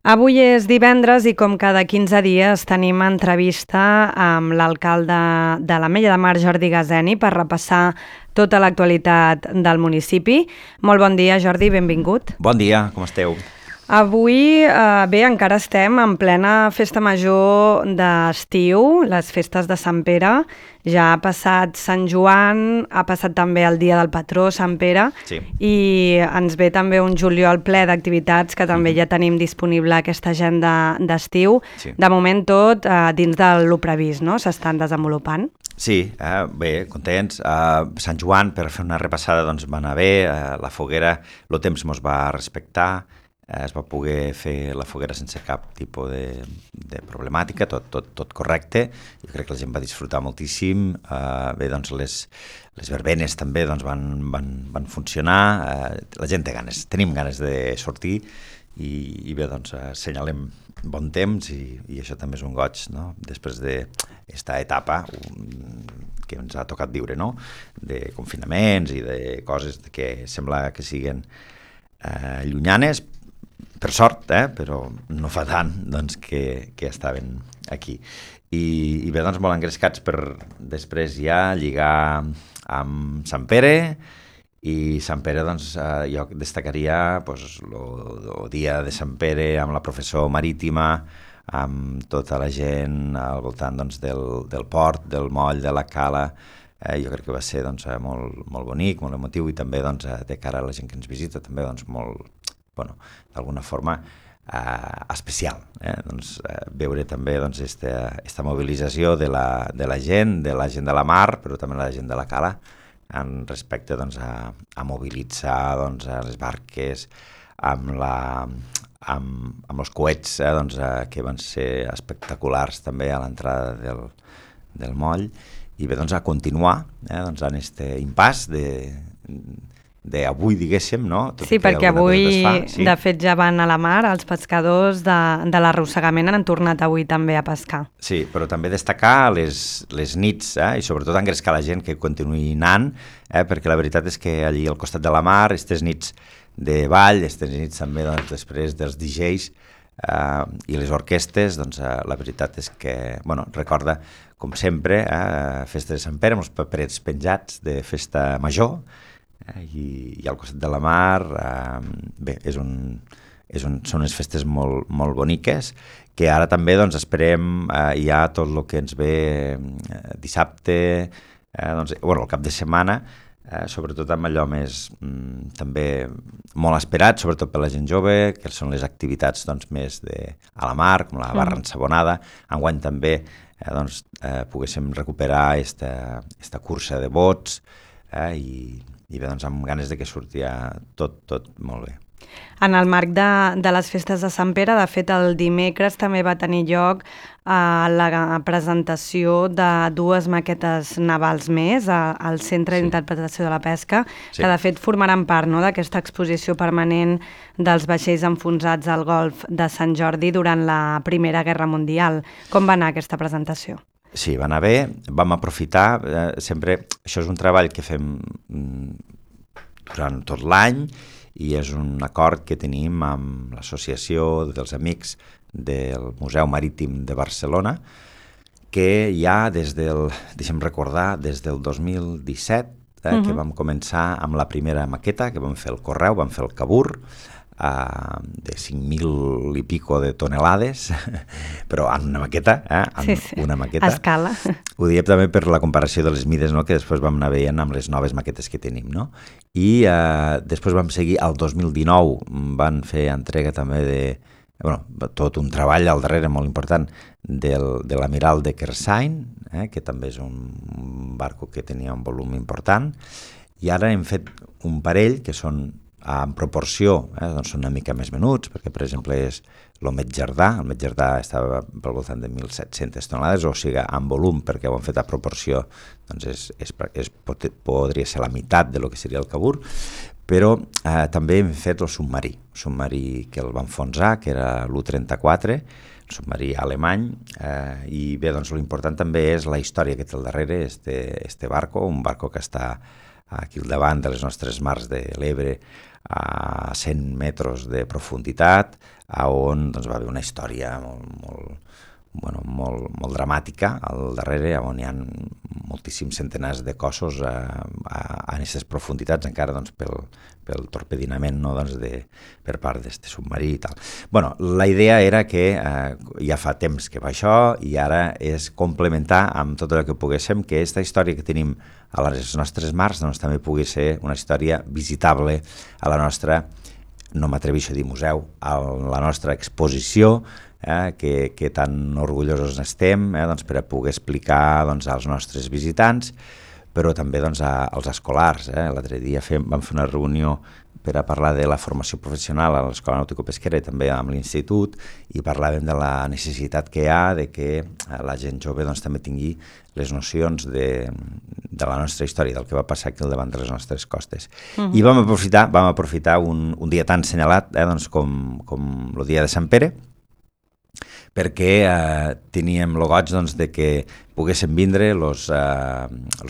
Avui és divendres i com cada 15 dies tenim entrevista amb l'alcalde de l'Ametlla de Mar, Jordi Gazeni, per repassar tota l'actualitat del municipi. Molt bon dia, Jordi, benvingut. Bon dia, com esteu? Avui, bé, encara estem en plena festa major d'estiu, les festes de Sant Pere. Ja ha passat Sant Joan, ha passat també el dia del patró, Sant Pere, Sí. I ens ve també un juliol ple d'activitats que també ja tenim disponible aquesta agenda d'estiu. Sí. De moment tot dins del previst, no? S'estan desenvolupant. Sí, bé, contents. Sant Joan, per fer una repassada, doncs va anar bé, la foguera, el temps mos va respectar, es va poder fer la foguera sense cap tipus de problemàtica, tot correcte. Jo crec que la gent va disfrutar moltíssim. Bé, doncs les verbenes també doncs, van funcionar. La gent té ganes, tenim ganes de sortir i bé, doncs assenyalem bon temps i això també és un goig, no? Després d'esta etapa que ens ha tocat viure, no? De confinaments i de coses que sembla que siguen llunyanes, per sort, però no fa tant doncs, que estaven aquí. I bé, doncs molt engrescats per després ja lligar amb Sant Pere, i Sant Pere, doncs, jo destacaria doncs, el dia de Sant Pere amb la processó marítima, amb tota la gent al voltant doncs, del port, del moll, de la cala. Jo crec que va ser doncs, molt bonic, molt emotiu i també doncs, de cara a la gent que ens visita, també doncs, molt, d'alguna forma especial. Doncs, veure també doncs, esta mobilització de la gent de la mar, però també la gent de la cala, en respecte doncs, a mobilitzar doncs, a les barques amb els coets doncs, que van ser espectaculars també a l'entrada del moll, i bé, doncs, a continuar doncs, en aquest impàs d'avui, diguéssim, no? Sí, perquè avui, de fet, ja van a la mar, els pescadors de l'arrossegament han tornat avui també a pescar. Sí, però també destacar les nits, i sobretot engrescar la gent que continuï anant, perquè la veritat és que allí al costat de la mar, aquestes nits de ball, aquestes nits també doncs, després dels DJs i les orquestes, doncs la veritat és que, recorda, com sempre, festa de Sant Pere, amb els paperets penjats de festa major, i al costat de la mar, bé, són unes festes molt boniques, que ara també doncs, esperem ja tot el que ens ve dissabte, el cap de setmana, sobretot amb allò més també molt esperat, sobretot per la gent jove, que són les activitats doncs, més a la mar, com la barra ensabonada. Enguany també poguéssim recuperar esta cursa de bots, i bé, doncs, amb ganes de que sortia tot molt bé. En el marc de les festes de Sant Pere, de fet, el dimecres també va tenir lloc la presentació de dues maquetes navals més al Centre d'Interpretació de la Pesca, que de fet formaran part, no?, d'aquesta exposició permanent dels vaixells enfonsats al golf de Sant Jordi durant la Primera Guerra Mundial. Com va anar aquesta presentació? Sí, va anar bé, vam aprofitar, sempre, això és un treball que fem durant tot l'any i és un acord que tenim amb l'Associació dels Amics del Museu Marítim de Barcelona, que ja deixem recordar, des del 2017, que vam començar amb la primera maqueta, que vam fer el Correu, vam fer el Cabur, de 5.000 i pico de tonelades, però en una maqueta, una maqueta. A escala. Ho diem també per la comparació de les mides, no?, que després vam anar veient amb les noves maquetes que tenim, no? I després vam seguir, al 2019 van fer entrega també tot un treball al darrere molt important de l'Amiral de Kersain, que també és un barco que tenia un volum important, i ara hem fet un parell que són en proporció, doncs són una mica més menuts, perquè per exemple és l'Omet Jardà, el Met Jardà estava pel voltant de 1.700 tonelades, o sigui, en volum, perquè ho han fet a proporció, doncs podria ser la meitat de lo que seria el Cabur, però també hem fet el submarí que el va enfonsar, que era l'U-34, el submarí alemany, i bé, doncs l'important també és la història que té al darrere este barco, un barco que està aquí al davant de les nostres mars de l'Ebre, a 100 metres de profunditat, on doncs, va haver una història molt dramàtica al darrere, on hi ha moltíssims centenars de cossos a aquestes profunditats, encara doncs, pel torpedinament, no, doncs, per part d'aquest submarí i tal. Bueno, la idea era que ja fa temps que va això i ara és complementar amb tot el que poguéssim que aquesta història que tenim a les nostres mars doncs, també pugui ser una història visitable a la nostra, no m'atreveixo a dir museu, a la nostra exposició, que tan orgullosos n'estem, doncs, per a poder explicar doncs, als nostres visitants, però també doncs, als escolars. L'altre dia vam fer una reunió per a parlar de la formació professional a l'Escola Nàutico-Pesquera i també amb l'Institut, i parlàvem de la necessitat que hi ha de que la gent jove doncs, també tingui les nocions de la nostra història, del que va passar aquí al davant de les nostres costes. I vam aprofitar un dia tan assenyalat doncs, com el dia de Sant Pere, perquè teníem el goig doncs, de que poguessin vindre els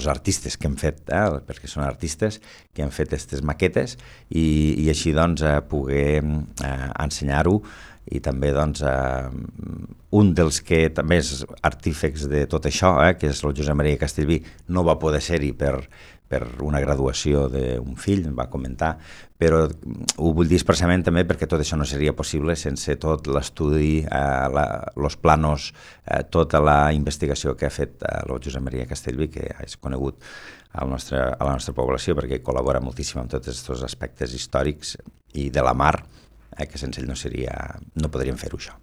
artistes que hem fet, perquè són artistes que han fet aquestes maquetes i així doncs, poder ensenyar-ho i també doncs, un dels que també és artífex de tot això, que és el Josep Maria Castellví, no va poder ser-hi per una graduació d'un fill, em va comentar, però ho vull dir expressament també perquè tot això no seria possible sense tot l'estudi, els planos, tota la investigació que ha fet el Josep Maria Castellví, que és conegut a la nostra població perquè col·labora moltíssim amb tots aquests aspectes històrics i de la mar, que sense ell no podríem fer-ho això.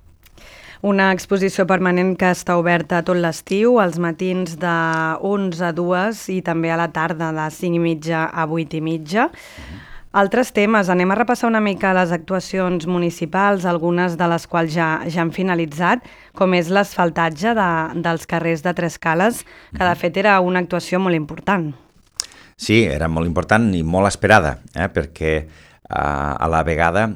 Una exposició permanent que està oberta tot l'estiu, als matins de 11 a 2 i també a la tarda de 5:30 a 8:30. Altres temes, anem a repassar una mica les actuacions municipals, algunes de les quals ja han finalitzat, com és l'asfaltatge dels carrers de Tres Cales, que de fet era una actuació molt important. Sí, era molt important i molt esperada, perquè a la vegada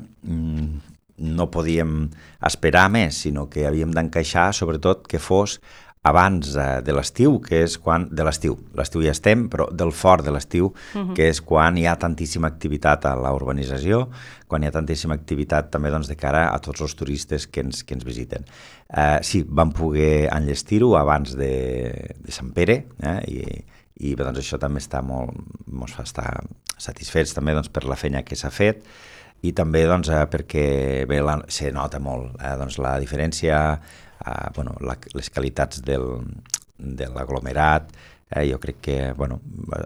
no podíem esperar més, sinó que havíem d'encaixar, sobretot, que fos abans de l'estiu, que és quan... De l'estiu ja estem, però del fort de l'estiu, que és quan hi ha tantíssima activitat a la urbanització, quan hi ha tantíssima activitat també doncs, de cara a tots els turistes que ens visiten. Sí, vam poder enllestir-ho abans de Sant Pere, i doncs, això també ens fa estar satisfets també, doncs, per la feina que s'ha fet, i també doncs, perquè bé, se nota molt doncs, la diferència, les qualitats de l'aglomerat, jo crec que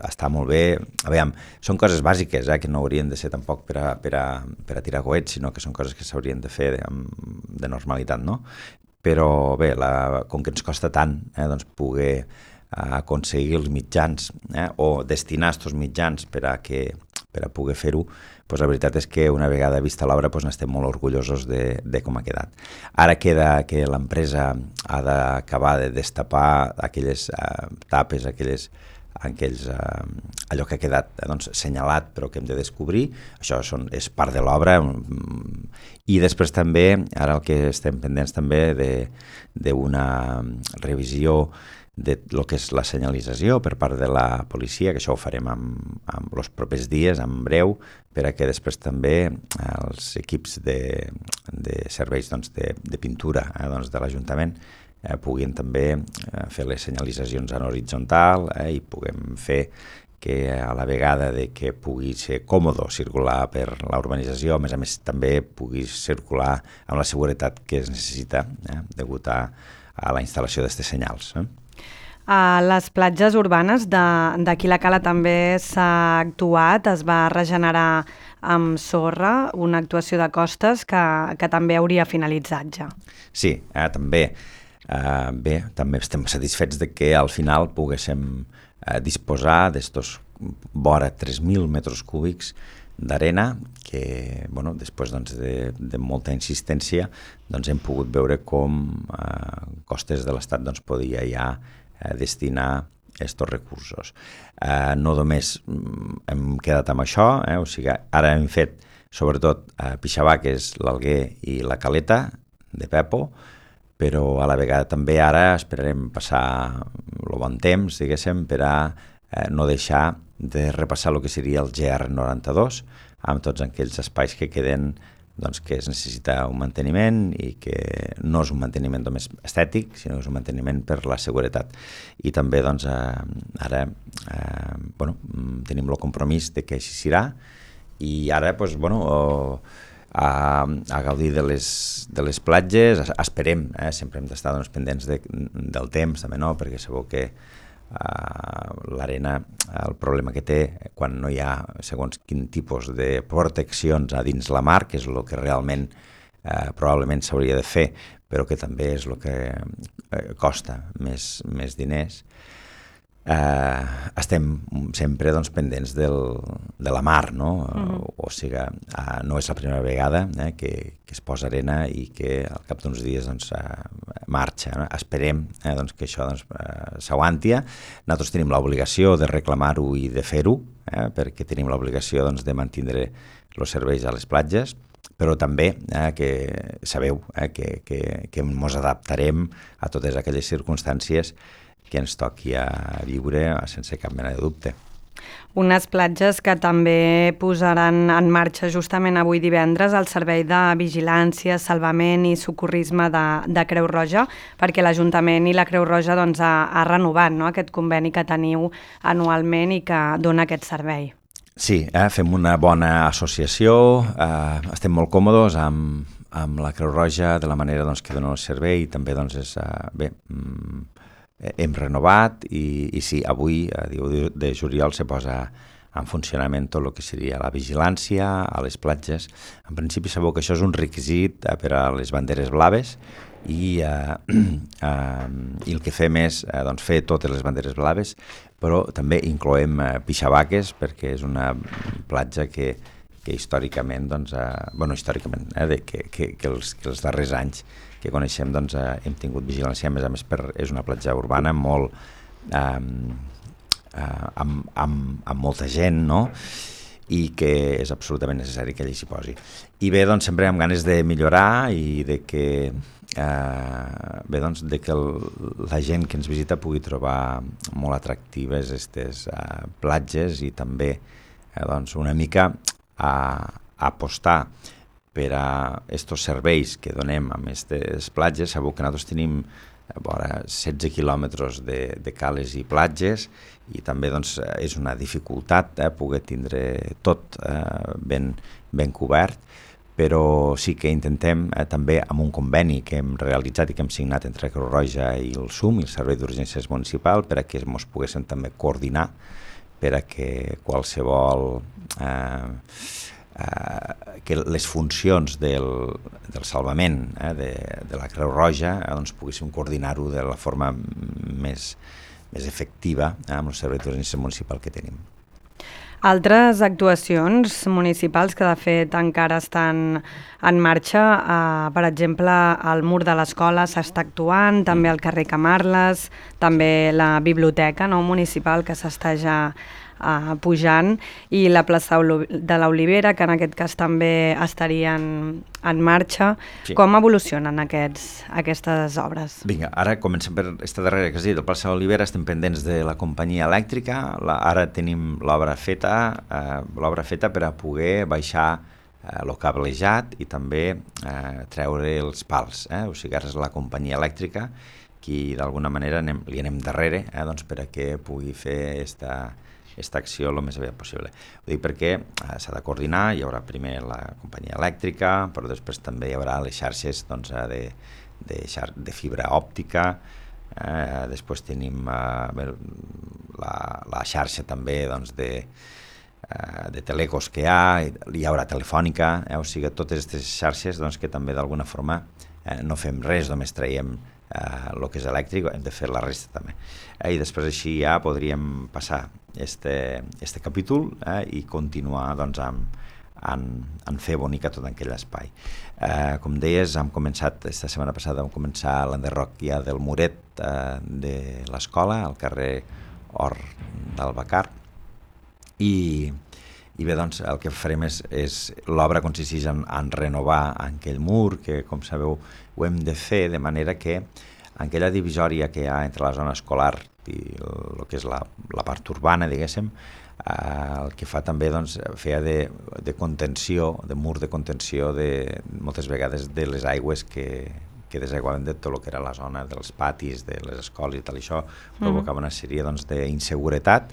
està molt bé. Aviam, són coses bàsiques que no haurien de ser tampoc per a tirar coets, sinó que són coses que s'haurien de fer de normalitat, no? Però bé, com que ens costa tant doncs, poder aconseguir els mitjans o destinar aquests mitjans per a poder fer-ho, doncs la veritat és que una vegada vista l'obra n'estem molt orgullosos de com ha quedat. Ara queda que l'empresa ha d'acabar de destapar aquelles tapes, allò que ha quedat senyalat però que hem de descobrir. Això és part de l'obra. I després també, ara el que estem pendents també d'una revisió de lo que és la senyalització per part de la policia, que això ho farem en els propers dies, en breu, per a que després també els equips de serveis de pintura de l'Ajuntament puguin també fer les senyalitzacions en horitzontal i puguem fer que a la vegada de que pugui ser còmode circular per la urbanització, a més també pugui circular amb la seguretat que es necessita degut a la instal·lació d'aquests senyals. A les platges urbanes d'aquí la Cala també s'ha actuat, es va regenerar amb sorra una actuació de costes que també hauria finalitzat ja. Sí, també. Bé, també estem satisfets de que al final poguéssim disposar d'estos vora 3.000 metres cúbics d'arena que, després de molta insistència, hem pogut veure com Costes de l'Estat podia ja destinar aquests recursos. No només hem quedat amb això, o sigui, ara hem fet sobretot Pixabà, que és l'Alguer i la Caleta de Pepo, però a la vegada també ara esperarem passar el bon temps, diguéssim, per a no deixar de repassar el que seria el GR92, amb tots aquells espais que queden doncs, que es necessita un manteniment i que no és un manteniment només estètic, sinó que és un manteniment per la seguretat. I també doncs, ara tenim el compromís de que així serà i ara doncs, a gaudir de les platges, esperem, sempre hem d'estar doncs, pendents del temps, també no, perquè sabeu que l'arena, el problema que té quan no hi ha segons quin tipus de proteccions a dins la mar, que és el que realment probablement s'hauria de fer, però que també és el que costa més diners, estem sempre doncs, pendents de la mar, no? O sigui, no és la primera vegada que es posa arena i que al cap d'uns dies doncs, marxa. No? Esperem doncs, que això doncs, s'aguanti. Nosaltres tenim l'obligació de reclamar-ho i de fer-ho, perquè tenim l'obligació doncs, de mantenir els serveis a les platges, però també que sabeu que ens adaptarem a totes aquelles circumstàncies que ens toqui a viure sense cap mena de dubte. Unes platges que també posaran en marxa justament avui divendres el servei de vigilància, salvament i socorrisme de Creu Roja, perquè l'Ajuntament i la Creu Roja doncs, ha renovat aquest conveni que teniu anualment i que dona aquest servei. Sí, fem una bona associació, estem molt còmodes amb la Creu Roja de la manera doncs, que dona el servei i també doncs, és hem renovat i sí, avui, a 10 de juliol, se posa en funcionament tot el que seria la vigilància a les platges. En principi sabeu que això és un requisit per a les banderes blaves i el que fem és doncs, fer totes les banderes blaves, però també incloem pixabaques perquè és una platja que històricament, doncs, històricament, que els darrers anys que coneixem doncs, hem tingut vigilància, a més és una platja urbana molt amb molta gent, no? I que és absolutament necessari que allí s'hi posi. I bé, doncs, sempre amb ganes de millorar i de que la gent que ens visita pugui trobar molt atractives aquestes platges i també doncs, una mica apostar per a aquests serveis que donem a aquestes platges. Sabeu que nosaltres tenim 16 quilòmetres de cales i platges i també doncs, és una dificultat poder tindre tot ben cobert, però sí que intentem també amb un conveni que hem realitzat i que hem signat entre Creu Roja i el SUM, el Servei d'Urgències Municipal, per a que ens poguéssim també coordinar per a que qualsevol que les funcions del salvament de la Creu Roja doncs, poguéssim coordinar-ho de la forma més efectiva amb el Servei d'Urgències Municipal que tenim. Altres actuacions municipals que de fet encara estan en marxa, per exemple, al mur de l'escola s'està actuant, també al carrer Camarles, també la biblioteca municipal que s'està ja pujant i la plaça de l'Olivera, que en aquest cas també estarien en marxa. Sí. Com evolucionen aquestes obres? Vinga, ara comencem per aquesta darrera que has dit, la plaça de l'Olivera, estem pendents de la companyia elèctrica, ara tenim l'obra feta per a poder baixar el cablejat i també treure els pals, o sigui, ara és la companyia elèctrica qui d'alguna manera li anem darrere doncs, per a que pugui fer aquesta acció el més aviat possible. Ho dic perquè s'ha de coordinar, hi haurà primer la companyia elèctrica, però després també hi haurà les xarxes doncs, de fibra òptica, després tenim la xarxa també doncs, de telecos que hi haurà telefònica, o sigui, totes aquestes xarxes doncs, que també d'alguna forma no fem res, només traiem el que és elèctric, hem de fer la resta també. I després així ja podríem passar este capítol i continuar doncs, en fer bonica tot aquell espai. Com deies, esta setmana passada vam començar l'enderroc ja del muret de l'escola, al carrer Hort d'Albacar, i bé, doncs, el que farem és l'obra consisteix en renovar aquell mur, que com sabeu ho hem de fer de manera que aquella divisòria que hi ha entre la zona escolar i el que és la part urbana, diguéssim, el que fa també, doncs, feia de contenció, de mur de contenció moltes vegades de les aigües que desaiguaven de tot el que era la zona dels patis, de les escoles i tal, i això provocava una sèrie, doncs, d'inseguretat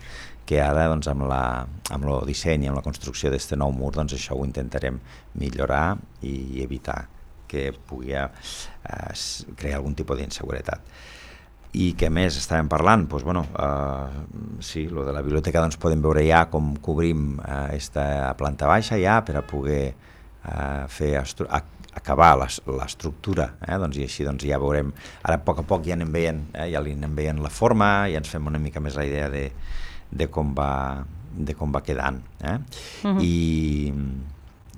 que ara, doncs, amb el disseny i amb la construcció d'aquest nou mur, doncs, això ho intentarem millorar i evitar que pugui crear algun tipus d'inseguretat. I què més estàvem parlant? Doncs, bueno, sí, lo de la biblioteca, doncs, podem veure ja com cobrim esta planta baixa ja per a poder acabar l'estructura, doncs, i així, doncs, ja veurem, ara a poc ja anem veient, ja li anem veient la forma, ja ens fem una mica més la idea de com va quedant.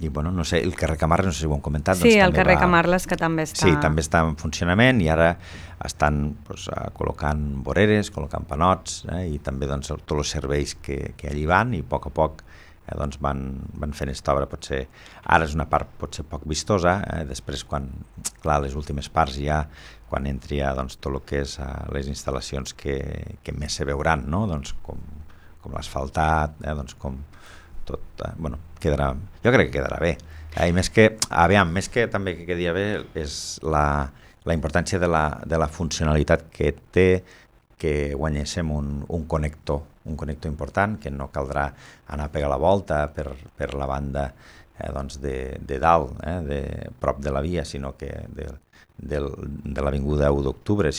I bueno, no sé, el carrer Camarles, no sé si ho hem comentat. Sí, doncs, el carrer Camarles, que també està... Sí, també està en funcionament i ara estan, doncs, col·locant voreres, col·locant panots, i també, doncs, tots els serveis que allí van, i a poc doncs, van fent aquesta obra. Potser ara és una part potser poc vistosa, després quan, clar, les últimes parts ja, quan entri doncs, tot el que és les instal·lacions que més se veuran, no? Doncs, com l'asfaltat, doncs, com tot, bueno, jo crec que quedarà bé. I més que també que quedaria bé és la importància de la funcionalitat que té que guanyéssim un connector important, que no caldrà anar a pegar la volta per la banda doncs de dalt, prop de la via, sinó que de l'avinguda 1 d'octubre,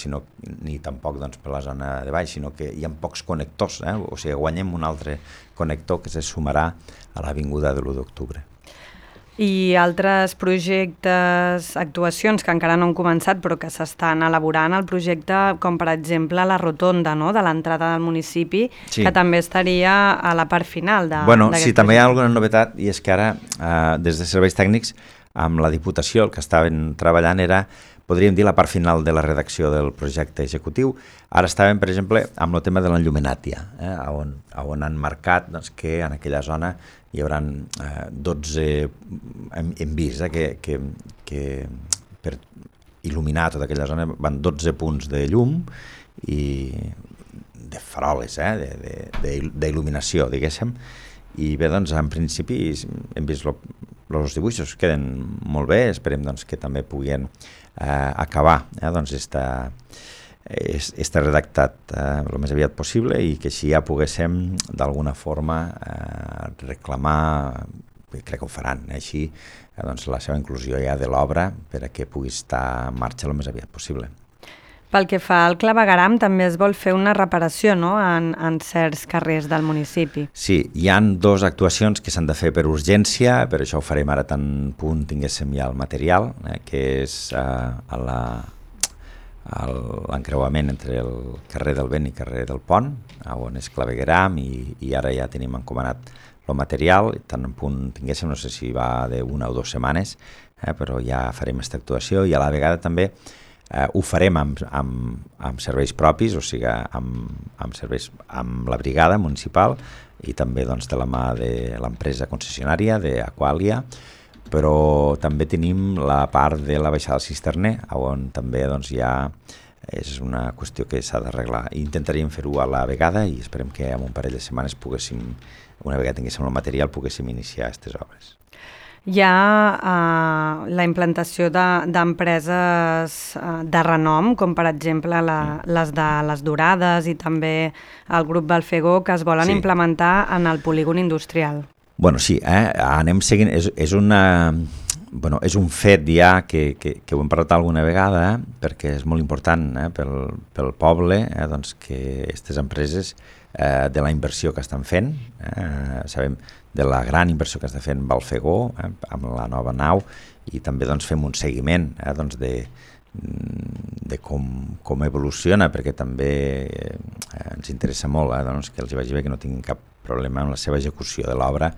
ni tampoc, doncs, per la zona de baix, sinó que hi ha pocs connectors, o sigui, guanyem un altre connector que se sumarà a l'avinguda de l'1 d'octubre. I altres projectes, actuacions que encara no han començat però que s'estan elaborant, el projecte com per exemple la rotonda, no?, de l'entrada del municipi, sí, que també estaria a la part final d'aquest projecte. Sí, també hi ha alguna novetat, i és que ara, des de serveis tècnics, amb la Diputació, el que estaven treballant era, podríem dir, la part final de la redacció del projecte executiu. Ara estàvem, per exemple, amb el tema de l'enllumenàtia, on han marcat, doncs, que en aquella zona hi haurà 12, hem vist que per il·luminar tota aquella zona van 12 punts de llum i de faroles, d'il·luminació, diguéssim. I bé, doncs, en principi hem vist els dibuixos, queden molt bé, esperem, doncs, que també puguin acabar, doncs, està redactat el més aviat possible i que així ja poguéssim d'alguna forma reclamar, crec que ho faran, així, doncs, la seva inclusió ja de l'obra per a que pugui estar en marxa el més aviat possible. Pel que fa al clavegueram, també es vol fer una reparació, no?, en certs carrers del municipi. Sí, hi han 2 actuacions que s'han de fer per urgència, per això ho farem ara tan punt tinguéssim ja el material, que és l'encreuament entre el carrer del Vent i carrer del Pont, on és clavegueram, i ara ja tenim encomanat el material, tant en punt tinguéssim, no sé si va d'1 o 2 setmanes, però ja farem aquesta actuació, i a la vegada també ho farem amb serveis propis, o sigui, amb serveis amb la brigada municipal i també, doncs, de la mà de l'empresa concessionària d'Aquàlia, però també tenim la part de la baixada del cisterner, on també, doncs, ja és una qüestió que s'ha d'arreglar. Intentaríem fer-ho a la vegada i esperem que en un parell de setmanes poguéssim, una vegada tinguéssim el material, poguéssim iniciar aquestes obres. Hi ha la implantació d'empreses de renom, com per exemple les de les Dorades i també el grup Balfegó, que es volen implementar en el polígon industrial. Bueno, sí, anem seguint, és un fet ja que ho hem parlat alguna vegada, perquè és molt important pel poble, doncs, que aquestes empreses, de la inversió que estan fent, sabem de la gran inversió que està fent Balfegó amb la nova nau, i també, doncs, fem un seguiment doncs, de com evoluciona, perquè també ens interessa molt doncs, que els hi vagi bé, que no tinguin cap problema amb la seva execució de l'obra.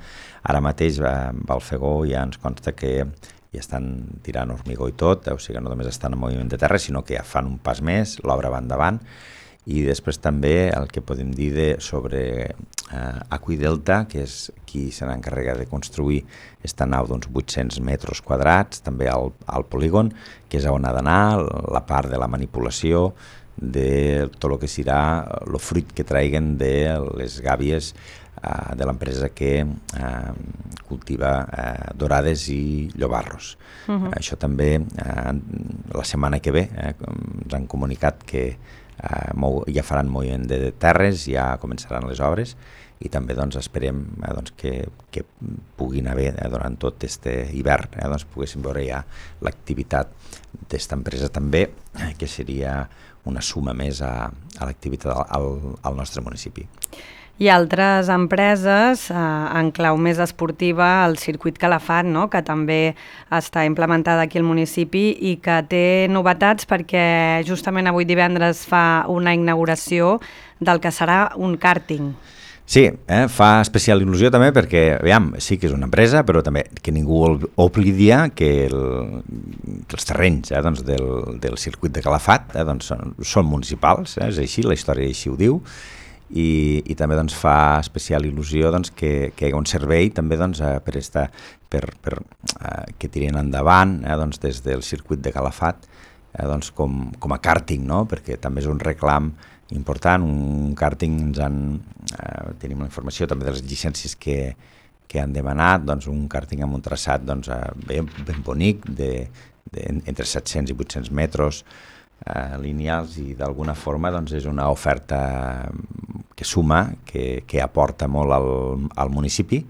Ara mateix Balfegó ja ens consta que ja estan tirant hormigó i tot, o sigui, no només estan en moviment de terra, sinó que ja fan un pas més, l'obra va endavant. I després també el que podem dir sobre Aqüidelta, que és qui se n'encarrega de construir aquesta nau d'uns 800 metres quadrats, també al polígon, que és on ha d'anar, la part de la manipulació, de tot el que serà el fruit que traiguen de les gàbies de l'empresa que cultiva dorades i llobarros. Això també la setmana que ve ens han comunicat que ja faran moviment de terres, ja començaran les obres i també esperem que puguin haver durant tot aquest hivern, poguéssim veure ja l'activitat d'esta empresa també, que seria una suma més a l'activitat al nostre municipi. I altres empreses, en clau més esportiva, el circuit Calafat, no? Que també està implementada aquí al municipi i que té novetats perquè justament avui divendres fa una inauguració del que serà un kàrting. Sí, fa especial il·lusió també perquè, aviam, sí que és una empresa, però també que ningú oblidia que els terrenys del circuit de Calafat són municipals, és així, la història així ho diu, i també fa especial il·lusió que hi ha un servei també que tirin endavant des del circuit de Calafat com a kàrting, no? Perquè també és un reclam important, un kàrting tenim la informació també de les llicències que han demanat, un kàrting amb un traçat ben bonic entre 700 i 800 metres lineals i d'alguna forma és una oferta que suma, que aporta molt al municipi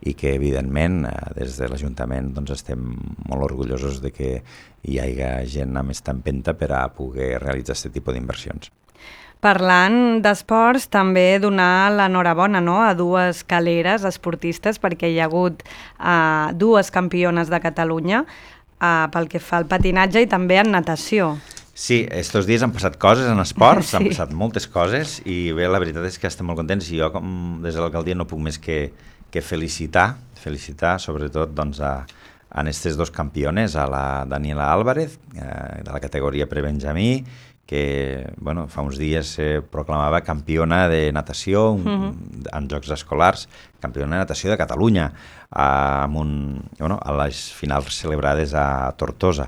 i que evidentment des de l'Ajuntament estem molt orgullosos de que hi hagi gent amb aquesta empenta per a poder realitzar aquest tipus d'inversions. Parlant d'esports, també donar l'enhorabona, no?, a dues caleres esportistes perquè hi ha hagut dues campiones de Catalunya pel que fa al patinatge i també en natació. Sí, estos dies han passat coses en esports, han passat moltes coses i bé, la veritat és que estem molt contents i jo des de l'alcaldia no puc més que felicitar sobretot a aquestes dos campiones, a la Daniela Álvarez de la categoria prebenjamí, que fa uns dies se proclamava campiona de natació en Jocs Escolars, campiona de natació de Catalunya, a les finals celebrades a Tortosa,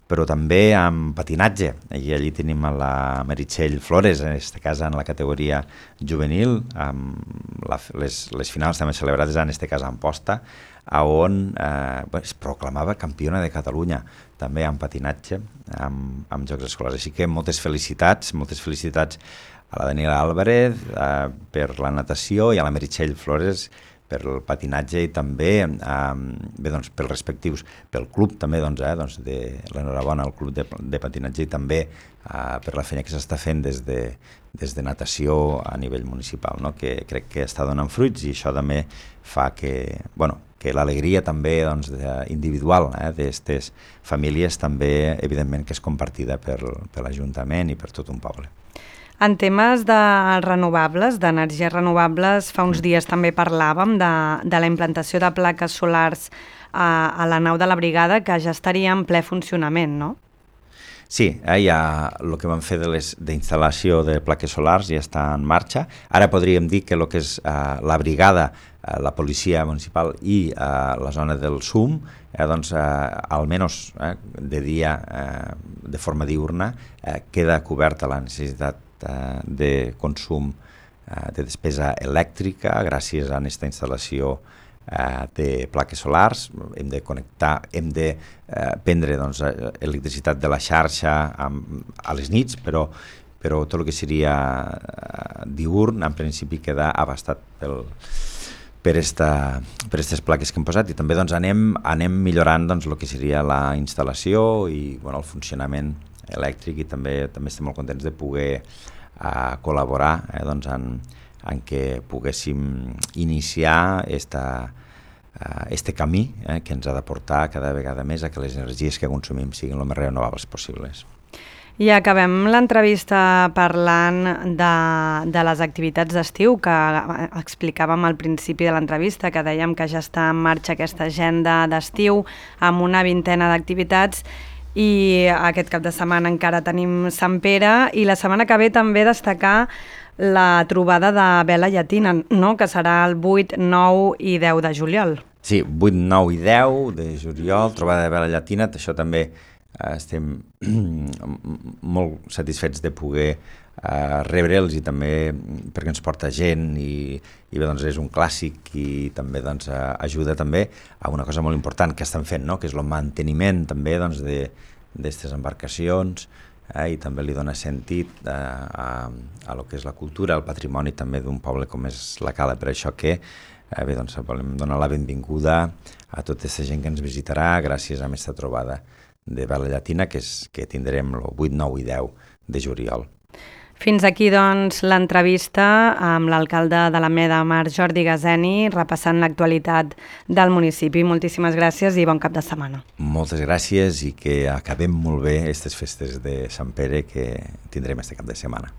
però també amb patinatge. I allí tenim a la Meritxell Flores, en aquest cas en la categoria juvenil, amb les finals també celebrades en aquest cas a Amposta, on es proclamava campiona de Catalunya, també amb patinatge, amb Jocs Escolars. Així que moltes felicitats a la Daniela Álvarez per la natació i a la Meritxell Flores per el patinatge i també pels respectius, pel club també, de l'enhorabona al club de patinatge i també per la feina que s'està fent des de natació a nivell municipal, no? Que crec que està donant fruits i això també fa que l'alegria també individual d'aquestes famílies també, evidentment, que és compartida per l'Ajuntament i per tot un poble. En temes de renovables, d'energies renovables, fa uns dies també parlàvem de la implantació de plaques solars a la nau de la brigada, que ja estaria en ple funcionament, no? Sí, ja el que vam fer d'instal·lació de plaques solars ja està en marxa. Ara podríem dir que el que és la brigada, la policia municipal i la zona del SUM, almenys de dia, de forma diurna, queda coberta la necessitat de consum de despesa elèctrica gràcies a aquesta instal·lació de plaques solars. Hem de connectar, hem de prendre electricitat de la xarxa a les nits, però tot el que seria diurn en principi queda abastat per aquestes plaques que hem posat i també anem millorant el que seria la instal·lació i el funcionament elèctric i també estem molt contents de poder col·laborar en què poguéssim iniciar este camí que ens ha de portar cada vegada més a que les energies que consumim siguin el més renovables possibles. I acabem l'entrevista parlant de les activitats d'estiu que explicàvem al principi de l'entrevista, que dèiem que ja està en marxa aquesta agenda d'estiu amb una vintena d'activitats i aquest cap de setmana encara tenim Sant Pere i la setmana que ve també destacar la trobada de vela llatina, no? Que serà el 8, 9 i 10 de juliol. Sí, 8, 9 i 10 de juliol, trobada de vela llatina, això també estem molt satisfets de poder rebre'ls i també perquè ens porta gent i bé, doncs és un clàssic i també doncs, ajuda també a una cosa molt important que estan fent, no? Que és el manteniment també doncs, d'aquestes embarcacions i també li dona sentit a lo que és la cultura, al patrimoni també d'un poble com és la Cala. Per això que bé, doncs, volem donar la benvinguda a tota aquesta gent que ens visitarà gràcies a aquesta trobada de Vela Llatina que tindrem el 8, 9 i 10 de juliol. Fins aquí, doncs, l'entrevista amb l'alcalde de l'Alameda de Mar, Jordi Gazeni, repassant l'actualitat del municipi. Moltíssimes gràcies i bon cap de setmana. Moltes gràcies i que acabem molt bé aquestes festes de Sant Pere que tindrem este cap de setmana.